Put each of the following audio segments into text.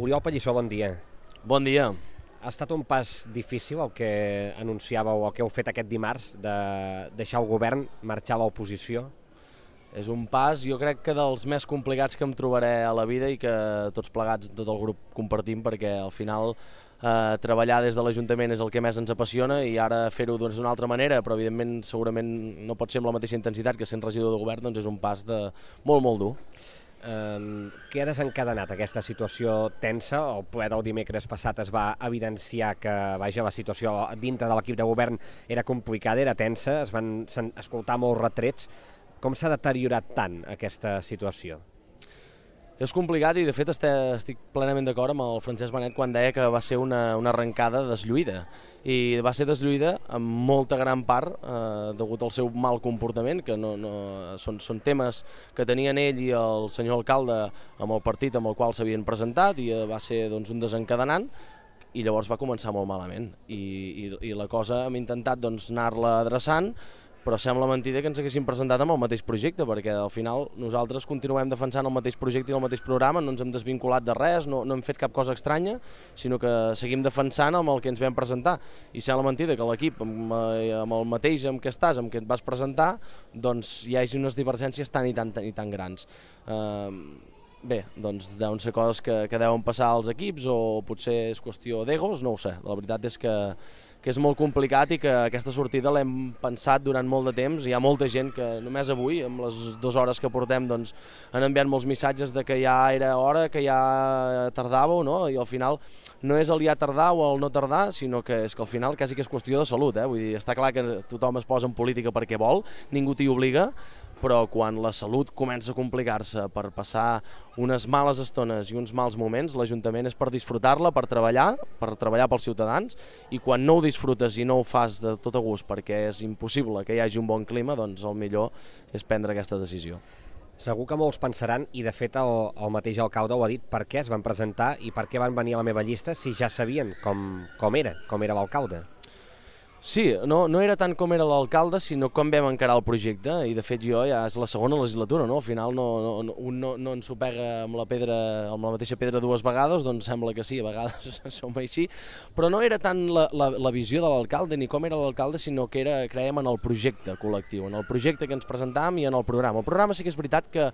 Oriol Pallissó, bon dia. Bon dia. Ha estat un pas difícil el que anunciàveu o el que heu fet aquest dimarts de deixar el govern, marxar a l'oposició? És un pas, jo crec que dels més complicats que em trobaré a la vida i que tots plegats, tot el grup, compartim, perquè al final treballar des de l'Ajuntament és el que més ens apassiona i ara fer-ho d'una altra manera, però evidentment segurament no pot ser amb la mateixa intensitat que sent regidor de govern, doncs és un pas molt, molt dur. Què ha desencadenat aquesta situació tensa? El ple del dimecres passat es va evidenciar que la situació dintre de l'equip de govern era complicada, era tensa, es van escoltar molts retrets. Com s'ha deteriorat tant aquesta situació? És complicat i de fet estic plenament d'acord amb el Francesc Benet quan deia que va ser una arrencada deslluïda i va ser deslluïda en molta gran part degut al seu mal comportament, que són temes que tenien ell i el senyor alcalde amb el partit amb el qual s'havien presentat i va ser doncs, un desencadenant i llavors va començar molt malament i la cosa hem intentat doncs, anar-la adreçant, però sembla mentida que ens haguéssim presentat amb el mateix projecte, perquè al final nosaltres continuem defensant el mateix projecte i el mateix programa, no ens hem desvinculat de res, no hem fet cap cosa estranya, sinó que seguim defensant amb el que ens vam presentar. I sembla mentida que l'equip, amb el mateix amb què estàs, amb què et vas presentar, doncs hi hagi unes divergències tan i tan grans. Bé, doncs deuen ser coses que deuen passar als equips o potser és qüestió d'egos, no ho sé. La veritat és que és molt complicat i que aquesta sortida l'hem pensat durant molt de temps. Hi ha molta gent que només avui, amb les 2 hores que portem, doncs, han enviat molts missatges de que ja era hora, que ja tardàveu, no? I al final no és el ja tardar o el no tardar, sinó que és que al final quasi que és qüestió de salut. Vull dir, està clar que tothom es posa en política perquè vol, ningú t'hi obliga, però quan la salut comença a complicar-se per passar unes males estones i uns mals moments, l'Ajuntament és per disfrutar-la, per treballar pels ciutadans, i quan no ho disfrutes i no ho fas de tot a gust perquè és impossible que hi hagi un bon clima, doncs el millor és prendre aquesta decisió. Segur que molts pensaran, i de fet el mateix alcalde ho ha dit, per què es van presentar i per què van venir a la meva llista si ja sabien com era l'alcalde. Sí, no era tant com era l'alcalde, sinó com vam encarar el projecte, i de fet jo ja és la segona legislatura, no? Al final un no ens ho pega amb la mateixa pedra 2 vegades, doncs sembla que sí, a vegades som així, però no era tant la visió de l'alcalde ni com era l'alcalde, sinó que creiem en el projecte col·lectiu, en el projecte que ens presentàvem i en el programa. El programa sí que és veritat que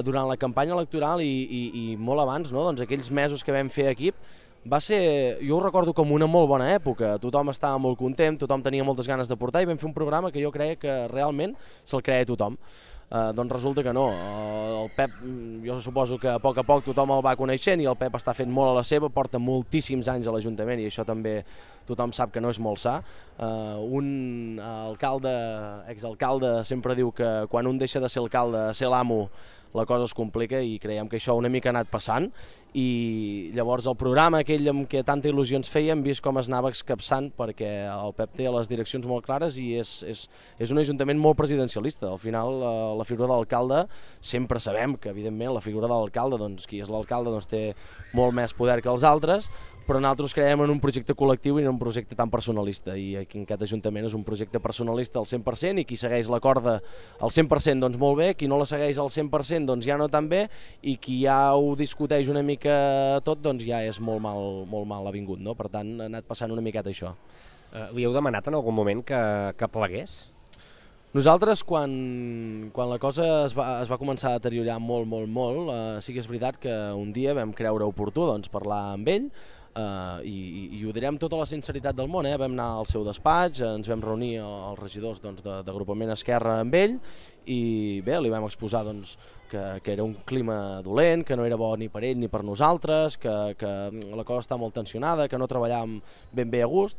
durant la campanya electoral i molt abans, no? Doncs aquells mesos que vam fer equip, va ser, jo ho recordo com una molt bona època, tothom estava molt content, tothom tenia moltes ganes de portar i vam fer un programa que jo crec que realment se'l creia tothom. Doncs resulta que no, el Pep, jo suposo que a poc tothom el va coneixent i el Pep està fent molt a la seva, porta moltíssims anys a l'Ajuntament i això també tothom sap que no és molt sa. Un exalcalde sempre diu que quan un deixa de ser alcalde a ser l'amo la cosa es complica i creiem que això una mica ha anat passant i llavors el programa aquell amb què tanta il·lusió ens feia hem vist com es anava escapçant perquè el Pep té les direccions molt clares i és un ajuntament molt presidencialista. Al final la figura de l'alcalde sempre sabem que evidentment la figura de l'alcalde, doncs qui és l'alcalde doncs té molt més poder que els altres, però nosaltres creiem en un projecte col·lectiu i en un projecte tan personalista i aquí en aquest Ajuntament és un projecte personalista al 100% i qui segueix la corda al 100% doncs molt bé, qui no la segueix al 100% doncs ja no tan bé i qui ja ho discuteix una mica tot doncs ja és molt mal avingut, no? Per tant ha anat passant una miqueta això. Li heu demanat en algun moment que plegués? Nosaltres, quan la cosa es va començar a deteriorar molt, sí que és veritat que un dia vam creure oportú doncs, parlar amb ell i ho direm tota la sinceritat del món. Vam anar al seu despatx, ens vam reunir els regidors d'agrupament Esquerra amb ell i bé, li vam exposar doncs, que era un clima dolent, que no era bo ni per ell ni per nosaltres, que la cosa està molt tensionada, que no treballàvem ben bé a gust.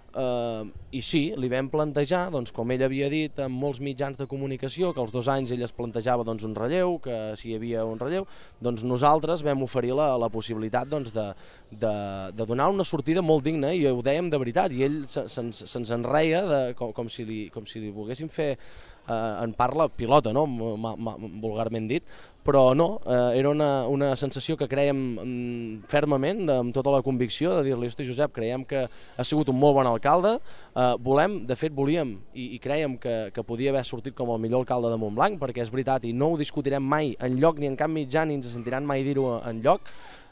I sí, li vam plantejar, doncs, com ell havia dit en molts mitjans de comunicació, que als 2 anys ell es plantejava doncs, un relleu, que si hi havia un relleu, doncs nosaltres vam oferir la possibilitat doncs, de donar una sortida molt digna i ho dèiem de veritat i ell se'ns enreia com si li volguéssim fer en parla pilota, no? Vulgarment dit, però no, era una sensació que creiem fermament, amb tota la convicció de dir-li, hosti Josep, creiem que ha sigut un molt bon alcalde, volíem i creiem que podia haver sortit com el millor alcalde de Montblanc, perquè és veritat i no ho discutirem mai enlloc ni en cap mitjà ni ens sentiran mai dir-ho enlloc,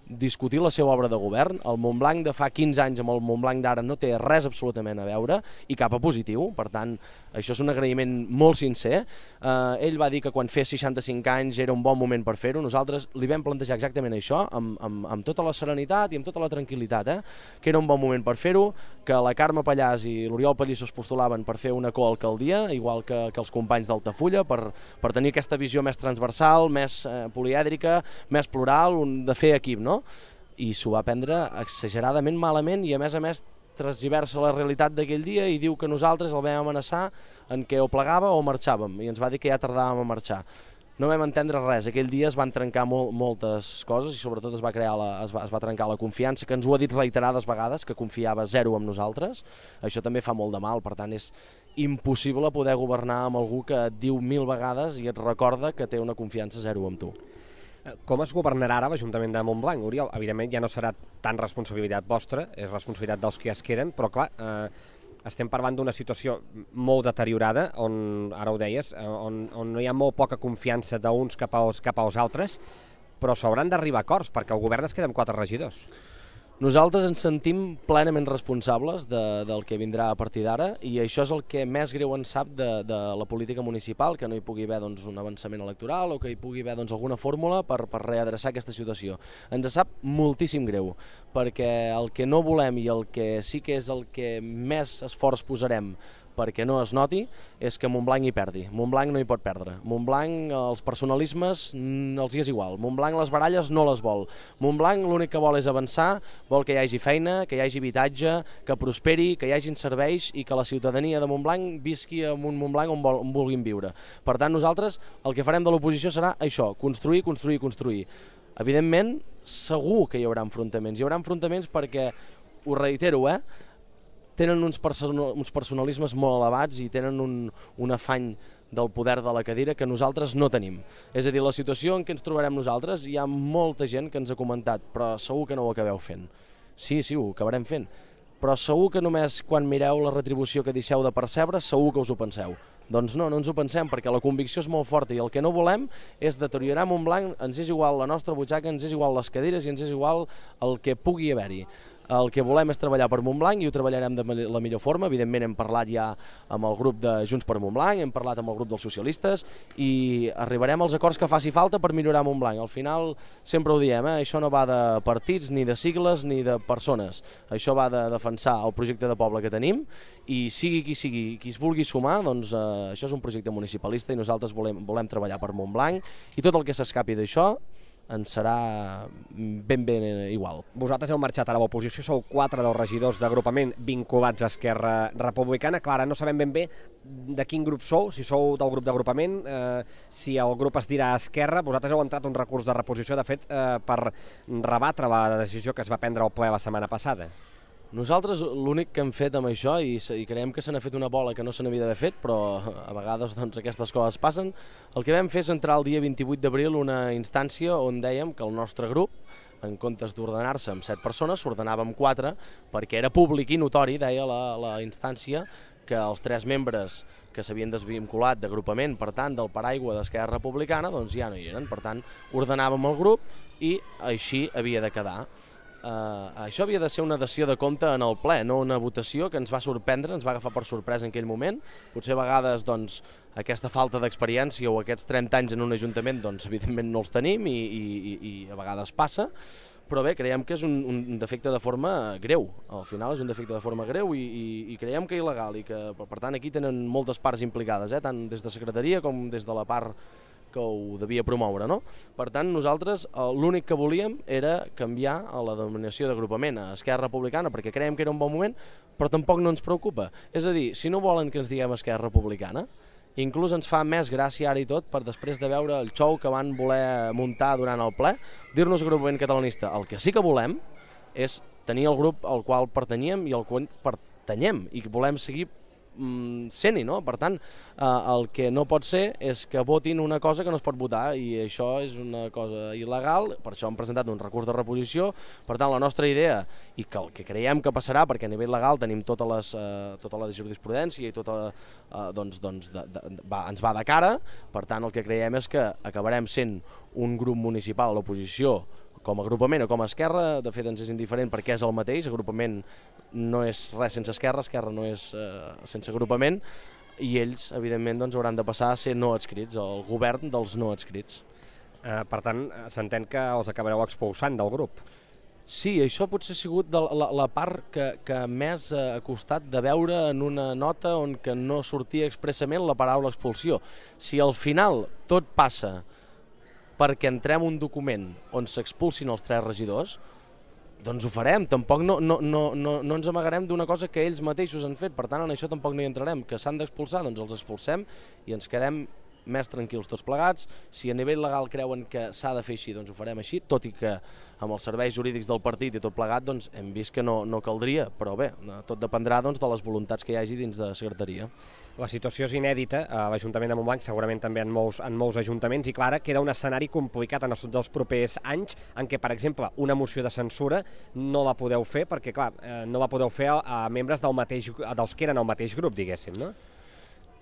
discutir la seva obra de govern. El Montblanc de fa 15 anys amb el Montblanc d'ara no té res absolutament a veure i cap a positiu, per tant, això és un agraïment molt sincer. Ell va dir que quan fes 65 anys era un bon moment per fer-ho, nosaltres li vam plantejar exactament això, amb tota la serenitat i amb tota la tranquil·litat, que era un bon moment per fer-ho, que la Carme Pallàs i l'Oriol Pallissó es postulaven per fer una coalcaldia, igual que els companys d'Altafulla, per tenir aquesta visió més transversal, més polièdrica, més plural, de fer equip, no? I s'ho va prendre exageradament malament i a més transgiversa la realitat d'aquell dia i diu que nosaltres el vam amenaçar en què o plegava o marxàvem i ens va dir que ja tardàvem a marxar. No vam entendre res, aquell dia es van trencar moltes coses i sobretot es va trencar la confiança, que ens ho ha dit reiterades vegades, que confiava zero en nosaltres. Això també fa molt de mal, per tant és impossible poder governar amb algú que et diu 1000 vegades i et recorda que té una confiança zero amb tu. Com es governarà ara l'Ajuntament de Montblanc, Oriol? Evidentment ja no serà tan responsabilitat vostra, és responsabilitat dels que es queden, però clar, estem parlant d'una situació molt deteriorada, on, ara ho deies, on no hi ha molt poca confiança d'uns cap als altres, però s'hauran d'arribar a acords, perquè el govern es queda amb 4 regidors. Nosaltres ens sentim plenament responsables del que vindrà a partir d'ara i això és el que més greu ens sap de la política municipal, que no hi pugui haver un avançament electoral o que hi pugui haver alguna fórmula per readreçar aquesta situació. Ens sap moltíssim greu, perquè el que no volem i el que sí que és el que més esforç posarem perquè no es noti, és que Montblanc hi perdi. Montblanc no hi pot perdre. Montblanc, els personalismes els hi és igual. Montblanc les baralles no les vol. Montblanc l'únic que vol és avançar, vol que hi hagi feina, que hi hagi habitatge, que prosperi, que hi hagin serveis i que la ciutadania de Montblanc visqui en un Montblanc on vulguin viure. Per tant, nosaltres el que farem de l'oposició serà això, construir, construir, construir. Evidentment, segur que hi haurà enfrontaments. Hi haurà enfrontaments perquè, ho reitero, tenen uns personalismes molt elevats i tenen un afany del poder de la cadira que nosaltres no tenim. És a dir, la situació en què ens trobarem nosaltres, hi ha molta gent que ens ha comentat, però segur que no ho acabeu fent. Sí, ho acabarem fent, però segur que només quan mireu la retribució que deixeu de percebre, segur que us ho penseu. Doncs no ens ho pensem, perquè la convicció és molt forta i el que no volem és deteriorar Montblanc, ens és igual la nostra butxaca, ens és igual les cadires i ens és igual el que pugui haver-hi. El que volem és treballar per Montblanc i ho treballarem de la millor forma. Evidentment hem parlat ja amb el grup de Junts per Montblanc, hem parlat amb el grup dels socialistes i arribarem als acords que faci falta per millorar Montblanc. Al final, sempre ho diem, això no va de partits, ni de sigles, ni de persones. Això va de defensar el projecte de poble que tenim i sigui qui es vulgui sumar, doncs això és un projecte municipalista i nosaltres volem treballar per Montblanc i tot el que s'escapi d'això ens serà ben igual. Vosaltres heu marxat a l'oposició, sou 4 dels regidors d'agrupament vinculats a Esquerra Republicana. Clar, ara no sabem ben bé de quin grup sou, si sou del grup d'agrupament, si el grup es dirà Esquerra. Vosaltres heu entrat un recurs de reposició, de fet, per rebatre la decisió que es va prendre al ple la setmana passada. Nosaltres l'únic que hem fet amb això, i creiem que se n'ha fet una bola que no se n'havia d'haver fet, però a vegades aquestes coses passen, el que vam fer és entrar el dia 28 d'abril una instància on dèiem que el nostre grup, en comptes d'ordenar-se amb 7 persones, s'ordenava amb 4, perquè era públic i notori, deia la instància, que els 3 membres que s'havien desvinculat d'agrupament, per tant, del paraigua d'Esquerra Republicana, doncs ja no hi eren. Per tant, ordenàvem el grup i així havia de quedar. Això havia de ser una dació de compte en el ple, no una votació que ens va sorprendre, ens va agafar per sorpresa en aquell moment. Potser a vegades doncs, aquesta falta d'experiència o aquests 30 anys en un ajuntament doncs, evidentment no els tenim i a vegades passa, però bé, creiem que és un defecte de forma greu. Al final és un defecte de forma greu i creiem que il·legal i que, per tant, aquí tenen moltes parts implicades, tant des de secretaria com des de la part que ho devia promoure, no? Per tant, nosaltres l'únic que volíem era canviar la denominació d'agrupament a Esquerra Republicana perquè creiem que era un bon moment, però tampoc no ens preocupa. És a dir, si no volen que ens diguem Esquerra Republicana, inclús ens fa més gràcia ara i tot per després de veure el xou que van voler muntar durant el ple, dir-nos agrupament catalanista. El que sí que volem és tenir el grup al qual pertanyem i al qual pertanyem i volem seguir sent-hi, no? Per tant, el que no pot ser és que votin una cosa que no es pot votar i això és una cosa il·legal, per això hem presentat un recurs de reposició. Per tant, la nostra idea, i que el que creiem que passarà, perquè a nivell legal tenim tota la jurisprudència i ens va de cara, per tant, el que creiem és que acabarem sent un grup municipal a l'oposició com a agrupament o com a esquerra, de fet ens és indiferent perquè és el mateix, agrupament no és res sense esquerra, esquerra no és sense agrupament, i ells, evidentment, doncs, hauran de passar a ser no adscrits, el govern dels no adscrits. Per tant, s'entén que els acabareu expulsant del grup. Sí, això potser ha sigut la part que més ha costat de veure en una nota on que no sortia expressament la paraula expulsió. Si al final tot passa perquè entrem un document on s'expulsin els 3 regidors, doncs ho farem, tampoc no ens amagarem d'una cosa que ells mateixos han fet, per tant en això tampoc no hi entrarem, que s'han d'expulsar, doncs els expulsem i ens quedem més tranquils tots plegats. Si a nivell legal creuen que s'ha de fer així, doncs ho farem així, tot i que amb els serveis jurídics del partit i tot plegat doncs hem vist que no caldria, però bé, tot dependrà doncs, de les voluntats que hi hagi dins de secretaria. La situació és inèdita a l'Ajuntament de Montblanc, segurament també en molts ajuntaments, i Clara, queda un escenari complicat en els dels propers anys en què, per exemple, una moció de censura no la podeu fer perquè, clar, no la podeu fer a membres dels que eren el mateix grup, diguéssim, no?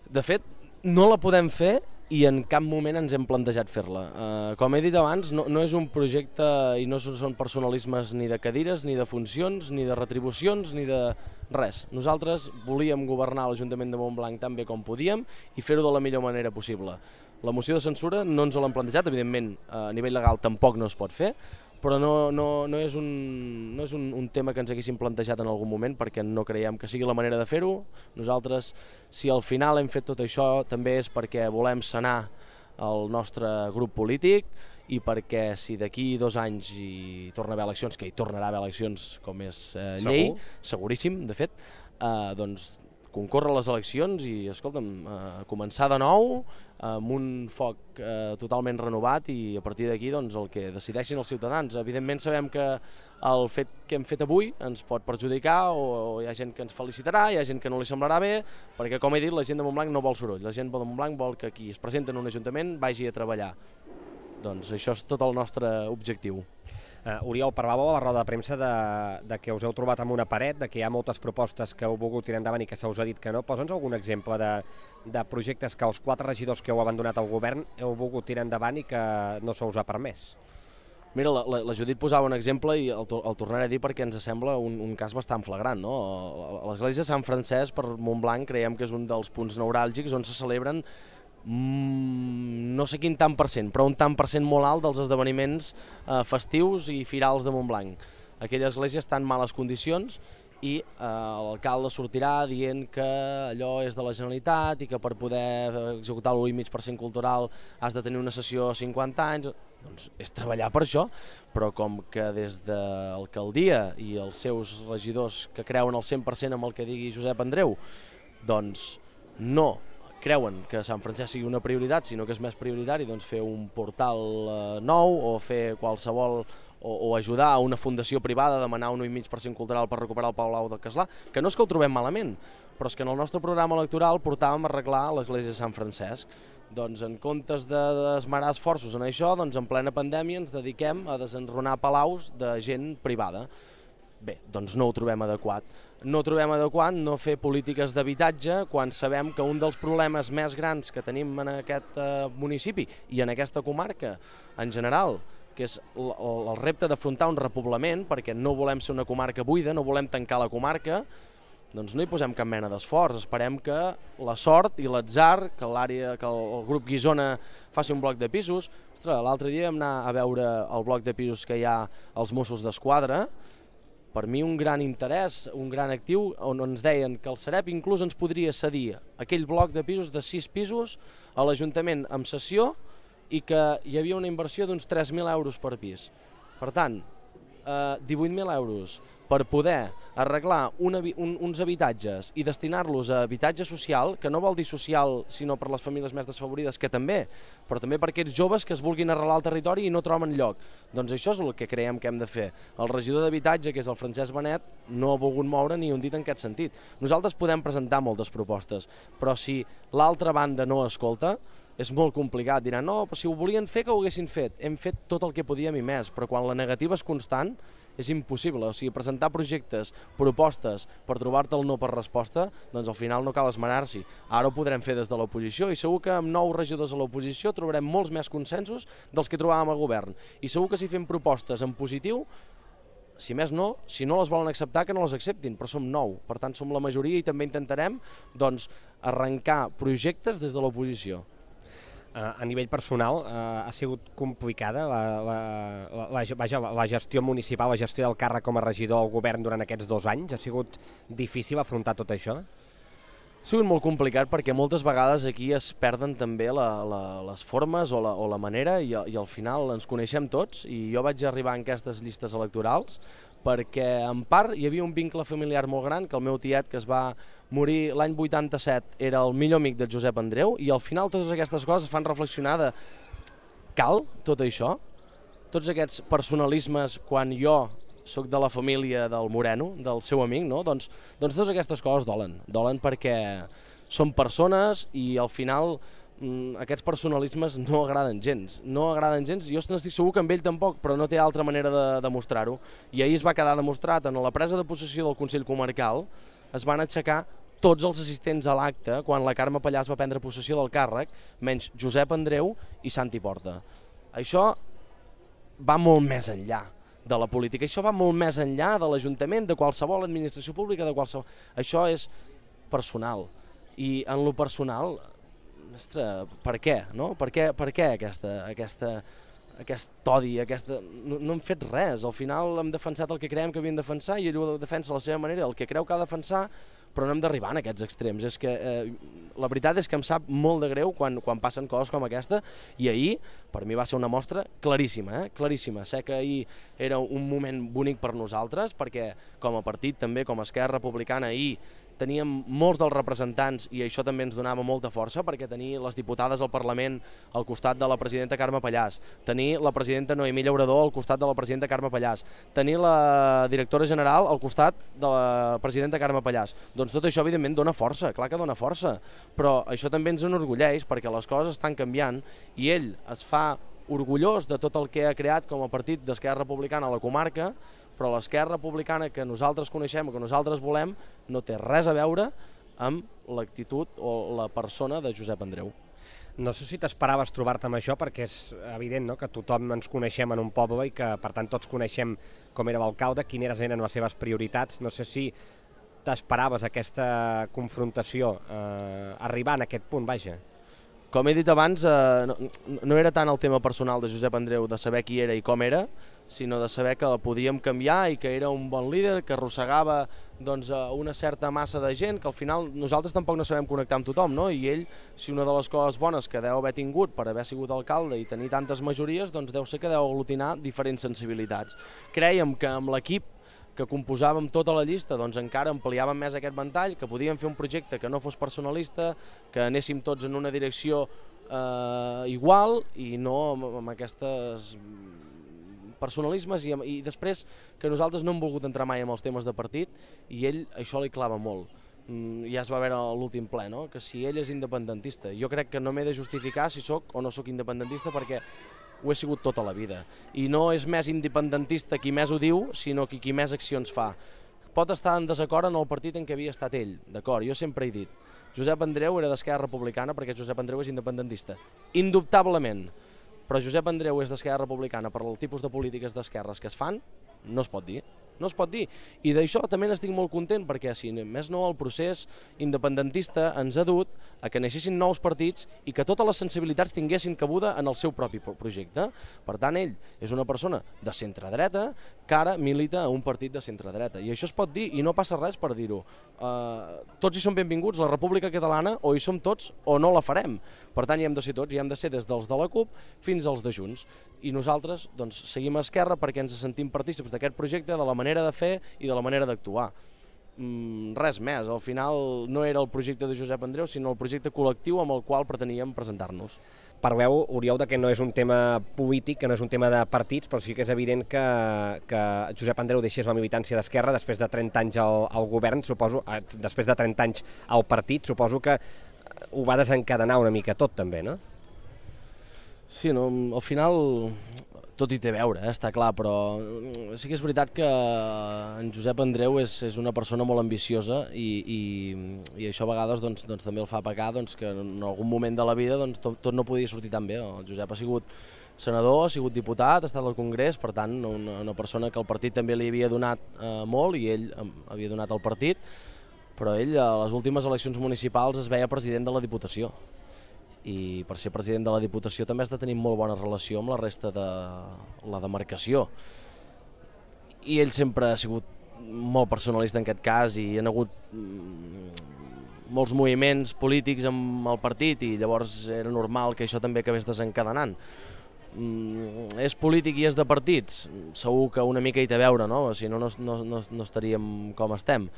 De fet, no la podem fer i en cap moment ens hem plantejat fer-la. Com he dit abans, no és un projecte i no són personalismes ni de cadires, ni de funcions, ni de retribucions, ni de res. Nosaltres volíem governar l'Ajuntament de Montblanc tan bé com podíem i fer-ho de la millor manera possible. La moció de censura no ens l'hem plantejat, evidentment a nivell legal tampoc no es pot fer, però no és un tema que ens haguéssim plantejat en algun moment perquè no creiem que sigui la manera de fer-ho. Nosaltres, si al final hem fet tot això, també és perquè volem sanar el nostre grup polític i perquè si d'aquí 2 anys hi torna a haver eleccions, que hi tornarà a haver eleccions com és llei, seguríssim, de fet, doncs concórrer a les eleccions i, escolta'm, començar de nou amb un foc totalment renovat i a partir d'aquí doncs, el que decideixin els ciutadans. Evidentment sabem que el fet que hem fet avui ens pot perjudicar o hi ha gent que ens felicitarà, hi ha gent que no li semblarà bé, perquè com he dit la gent de Montblanc no vol soroll, la gent de Montblanc vol que qui es presenta en un ajuntament vagi a treballar. Doncs això és tot el nostre objectiu. Oriol, parlàveu a la roda de premsa de que us heu trobat amb una paret, de que hi ha moltes propostes que heu volgut tirar endavant i que se us ha dit que no. Posa'ns algun exemple de projectes que els 4 regidors que heu abandonat al govern heu volgut tirar endavant i que no se us ha permès. Mira, la Judit posava un exemple i el tornaré a dir perquè ens sembla un cas bastant flagrant, no? L'església de Sant Francesc per Montblanc creiem que és un dels punts neuràlgics on se celebren no sé quin tant per cent, però un tant per cent molt alt dels esdeveniments festius i firals de Montblanc. Aquella església està en males condicions i l'alcalde sortirà dient que allò és de la Generalitat i que per poder executar l'1,5% cultural has de tenir una sessió a 50 anys. Doncs és treballar per això, però com que des de l'alcaldia i els seus regidors que creuen al 100% amb el que digui Josep Andreu, doncs no creuen que Sant Francesc sigui una prioritat, sinó que és més prioritari doncs, fer un portal nou o fer qualsevol o ajudar a una fundació privada a demanar un 1,5% cultural per recuperar el Palau del Castlà, que no és que ho trobem malament, però és que en el nostre programa electoral portàvem a arreglar l'església de Sant Francesc. Doncs en comptes d'esmerar esforços en això, doncs en plena pandèmia ens dediquem a desenrunar palaus de gent privada. Bé, doncs no ho trobem adequat. No trobem adequat no fer polítiques d'habitatge quan sabem que un dels problemes més grans que tenim en aquest municipi i en aquesta comarca en general, que és el repte d'afrontar un repoblament, perquè no volem ser una comarca buida, no volem tancar la comarca, doncs no hi posem cap mena d'esforç. Esperem que la sort i l'atzar, que el grup Guissona faci un bloc de pisos. Ostres, l'altre dia vam anar a veure el bloc de pisos que hi ha als Mossos d'Esquadra. Per mi un gran interès, un gran actiu, on ens deien que el Sareb inclús ens podria cedir aquell bloc de pisos de 6 pisos a l'Ajuntament amb cessió i que hi havia una inversió d'uns 3.000 euros per pis. Per tant, 18.000 euros per poder arreglar uns habitatges i destinar-los a habitatge social, que no vol dir social sinó per les famílies més desfavorides, que també, però també per aquests joves que es vulguin arrelar al territori i no troben lloc. Doncs això és el que creiem que hem de fer. El regidor d'habitatge, que és el Francesc Benet, no ha volgut moure ni un dit en aquest sentit. Nosaltres podem presentar moltes propostes, però si l'altra banda no escolta, és molt complicat. Diran, no, però si ho volien fer, que ho haguessin fet. Hem fet tot el que podíem i més, però quan la negativa és constant és impossible. O sigui, presentar projectes, propostes per trobar-te el no per resposta, doncs al final no cal esmenar-s'hi. Ara ho podrem fer des de l'oposició i segur que amb 9 regidors a l'oposició trobarem molts més consensos dels que trobàvem al govern. I segur que si fem propostes en positiu, si més no, si no les volen acceptar, que no les acceptin, però som 9, per tant som la majoria i també intentarem doncs, arrencar projectes des de l'oposició. A nivell personal, ha sigut complicada la gestió municipal, la gestió del càrrec com a regidor al govern durant aquests 2 anys? Ha sigut difícil afrontar tot això? Ha sigut molt complicat perquè moltes vegades aquí es perden també les formes o la manera i al final ens coneixem tots i jo vaig arribar en aquestes llistes electorals perquè en part hi havia un vincle familiar molt gran, que el meu tiet que es va morir l'any 87 era el millor amic de Josep Andreu i al final totes aquestes coses fan reflexionar de cal tot això? Tots aquests personalismes quan jo soc de la família del Moreno, del seu amic, no? Doncs totes aquestes coses dolen perquè són persones i al final aquests personalismes no agraden gens, jo n'estic segur que amb ell tampoc, però no té altra manera de demostrar-ho. I ahir es va quedar demostrat, en la presa de possessió del Consell Comarcal es van aixecar tots els assistents a l'acte quan la Carme Pallàs va prendre possessió del càrrec, menys Josep Andreu i Santi Porta. Això va molt més enllà de la política, això va molt més enllà de l'Ajuntament, de qualsevol administració pública, Això és personal. I en lo personal, ostres, per què? No? Per què aquest odi, no hem fet res, al final hem defensat el que creiem que havíem de defensar i ell ho defensa a la seva manera, el que creu que ha de defensar, però no hem d'arribar a aquests extrems. És que la veritat és que em sap molt de greu quan passen coses com aquesta i ahir per mi va ser una mostra claríssima, claríssima. Sé que ahir era un moment bonic per nosaltres perquè com a partit també, com a Esquerra Republicana, ahir teníem molts dels representants i això també ens donava molta força perquè tenir les diputades al Parlament al costat de la presidenta Carme Pallàs, tenir la presidenta Noemí Llaurador al costat de la presidenta Carme Pallàs, tenir la directora general al costat de la presidenta Carme Pallàs. Doncs tot això evidentment dona força, clar que dona força, però això també ens enorgulleix perquè les coses estan canviant i ell es fa orgullós de tot el que ha creat com a partit d'Esquerra Republicana a la comarca, però l'Esquerra Republicana que nosaltres coneixem o que nosaltres volem no té res a veure amb l'actitud o la persona de Josep Andreu. No sé si t'esperaves trobar-te amb això, perquè és evident, no?, que tothom ens coneixem en un poble i que per tant tots coneixem com era l'alcalde, quines eren les seves prioritats. No sé si t'esperaves aquesta confrontació, arribar en aquest punt, vaja. Com he dit abans, no era tant el tema personal de Josep Andreu, de saber qui era i com era, sinó de saber que el podíem canviar i que era un bon líder, que arrossegava una certa massa de gent, que al final nosaltres tampoc no sabem connectar amb tothom, no? I ell, si una de les coses bones que deu haver tingut per haver sigut alcalde i tenir tantes majories, doncs deu ser que deu aglutinar diferents sensibilitats. Crèiem que amb l'equip que composàvem tota la llista, doncs encara ampliàvem més aquest ventall, que podíem fer un projecte que no fos personalista, que anéssim tots en una direcció igual i no amb aquestes personalismes i després que nosaltres no hem volgut entrar mai en els temes de partit i ell això li clava molt. Ja es va veure a l'últim ple, no?, que si ell és independentista. Jo crec que no m'he de justificar si sóc o no sóc independentista perquè ho he sigut tota la vida. I no és més independentista qui més ho diu, sinó qui més accions fa. Pot estar en desacord en el partit en què havia estat ell, d'acord, jo sempre he dit. Josep Andreu era d'Esquerra Republicana perquè Josep Andreu és independentista. Indubtablement. Però Josep Andreu és d'Esquerra Republicana per el tipus de polítiques d'esquerres que es fan, no es pot dir. No es pot dir. I d'això també n'estic molt content perquè, si més no, el procés independentista ens ha dut a que naixessin nous partits i que totes les sensibilitats tinguessin cabuda en el seu propi projecte. Per tant, ell és una persona de centre-dreta que ara milita a un partit de centre-dreta. I això es pot dir i no passa res per dir-ho. Tots hi som benvinguts, la República Catalana o hi som tots o no la farem. Per tant, hi hem de ser tots, hi hem de ser des dels de la CUP fins als de Junts. I nosaltres doncs, seguim a Esquerra perquè ens sentim partícips d'aquest projecte, de la manera de fer i de la manera d'actuar. Res més, al final no era el projecte de Josep Andreu, sinó el projecte col·lectiu amb el qual preteníem presentar-nos. Parleu, Oriol, que no és un tema polític, que no és un tema de partits, però sí que és evident que Josep Andreu deixés la militància d'Esquerra després de 30 anys al govern, suposo, després de 30 anys al partit, suposo que ho va desencadenar una mica tot també, no? Sí, no? Al final tot hi té a veure, està clar, però sí que és veritat que en Josep Andreu és una persona molt ambiciosa i això a vegades també el fa pecar que en algun moment de la vida tot no podia sortir tan bé. El Josep ha sigut senador, ha sigut diputat, ha estat al Congrés, per tant una persona que el partit també li havia donat molt i ell havia donat al partit, però ell a les últimes eleccions municipals es veia president de la Diputació. I per ser president de la Diputació també has de tenir molt bona relació amb la resta de la demarcació. I ell sempre ha sigut molt personalista en aquest cas i hi ha hagut molts moviments polítics amb el partit i llavors era normal que això també acabés desencadenant. És polític i és de partits? Segur que una mica hi té a veure, no? Si no, no estaríem com estem.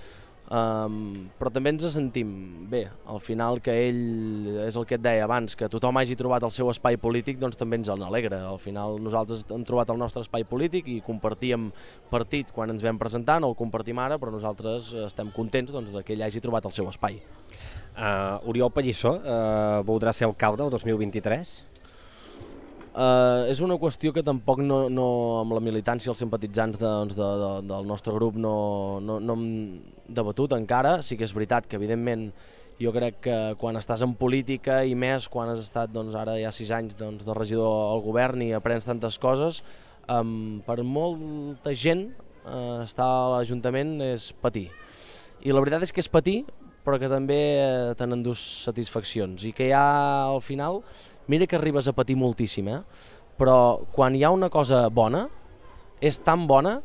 Però també ens sentim bé, al final que ell, és el que et deia abans, que tothom hagi trobat el seu espai polític, doncs també ens en alegra. Al final nosaltres hem trobat el nostre espai polític i compartíem partit quan ens vam presentar, no el compartim ara, però nosaltres estem contents que ell hagi trobat el seu espai. Oriol Pallissó voldrà ser alcalde el 2023? És una qüestió que tampoc amb la militància i els simpatitzants del nostre grup no hem debatut encara. Sí que és veritat que evidentment jo crec que quan estàs en política i més quan has estat ara ja 6 anys de regidor al govern i aprens tantes coses, per molta gent estar a l'Ajuntament és patir. I la veritat és que és patir, però que també te n'endús satisfaccions i que ja al final, mira que arribes a patir moltíssim, però quan hi ha una cosa bona, és tan bona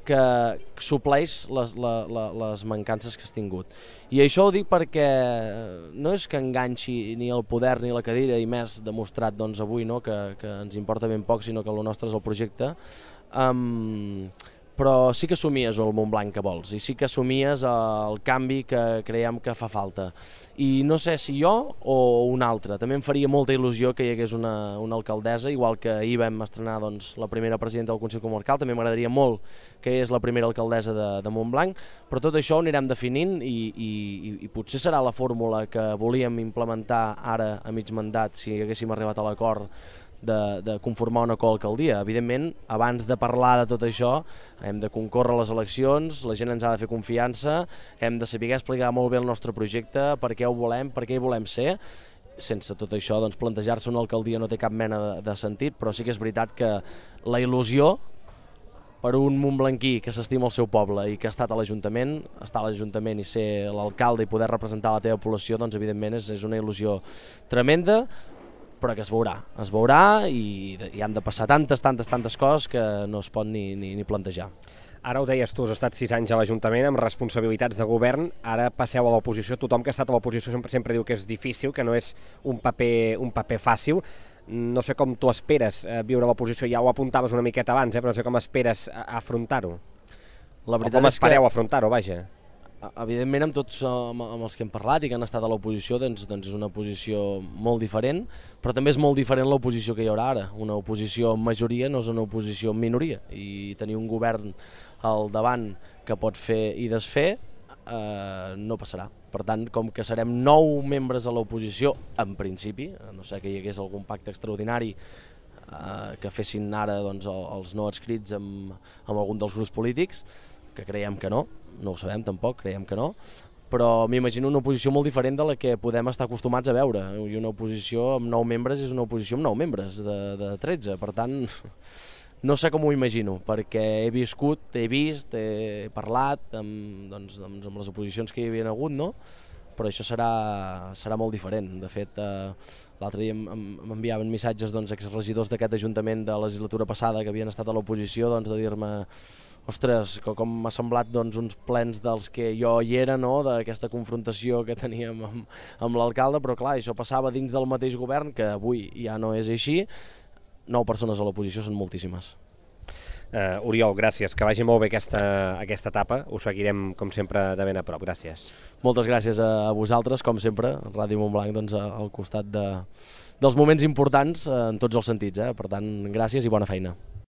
que supleix les mancances que has tingut. I això ho dic perquè no és que enganxi ni el poder ni la cadira, i més demostrat avui que ens importa ben poc, sinó que el nostre és el projecte, però sí que somies el Montblanc que vols i sí que somies el canvi que creiem que fa falta. I no sé si jo o un altre. També em faria molta il·lusió que hi hagués una alcaldessa, igual que ahir vam estrenar la primera presidenta del Consell Comarcal, també m'agradaria molt que és la primera alcaldessa de Montblanc, però tot això ho anirem definint i potser serà la fórmula que volíem implementar ara a mig mandat si haguéssim arribat a l'acord de conformar una coalcaldia. Evidentment, abans de parlar de tot això, hem de concórrer a les eleccions, la gent ens ha de fer confiança, hem de saber explicar molt bé el nostre projecte, per què ho volem, per què hi volem ser. Sense tot això, plantejar-se una alcaldia no té cap mena de sentit, però sí que és veritat que la il·lusió per un montblanquí que s'estima el seu poble i que ha estat a l'Ajuntament, estar a l'Ajuntament i ser l'alcalde i poder representar la teva població, evidentment és una il·lusió tremenda, però que es veurà i han de passar tantes coses que no es pot ni plantejar. Ara ho deies tu, has estat 6 anys a l'Ajuntament amb responsabilitats de govern, ara passeu a l'oposició. Tothom que ha estat a l'oposició sempre diu que és difícil, que no és un paper fàcil. No sé com tu esperes viure a l'oposició, ja ho apuntaves una miqueta abans, però no sé com esperes afrontar-ho. O com espereu afrontar-ho, vaja. Evidentment, amb tots amb els que hem parlat i que han estat a l'oposició, és una posició molt diferent, però també és molt diferent l'oposició que hi haurà ara. Una oposició en majoria no és una oposició en minoria, i tenir un govern al davant que pot fer i desfer no passarà. Per tant, com que serem 9 membres a l'oposició, en principi, a no ser que hi hagués algun pacte extraordinari que fessin ara els no adscrits amb algun dels grups polítics, que creiem que no ho sabem tampoc, creiem que no, però m'imagino una oposició molt diferent de la que podem estar acostumats a veure. I una oposició amb 9 membres és una oposició amb 9 membres de 13, per tant no sé com ho imagino, perquè he viscut, he vist, he parlat amb les oposicions que hi havia hagut, no? Però això serà molt diferent. De fet, l'altre dia m'enviaven missatges exregidors d'aquest Ajuntament de la legislatura passada que havien estat a l'oposició de dir-me: ostres, com m'ha semblat uns plens dels que jo hi era, no?, d'aquesta confrontació que teníem amb l'alcalde, però clar, això passava dins del mateix govern, que avui ja no és així. 9 persones a l'oposició són moltíssimes. Oriol, gràcies, que vagi molt bé aquesta etapa, ho seguirem com sempre de ben a prop, gràcies. Moltes gràcies a vosaltres, com sempre, Ràdio Montblanc al costat dels moments importants en tots els sentits, per tant, gràcies i bona feina.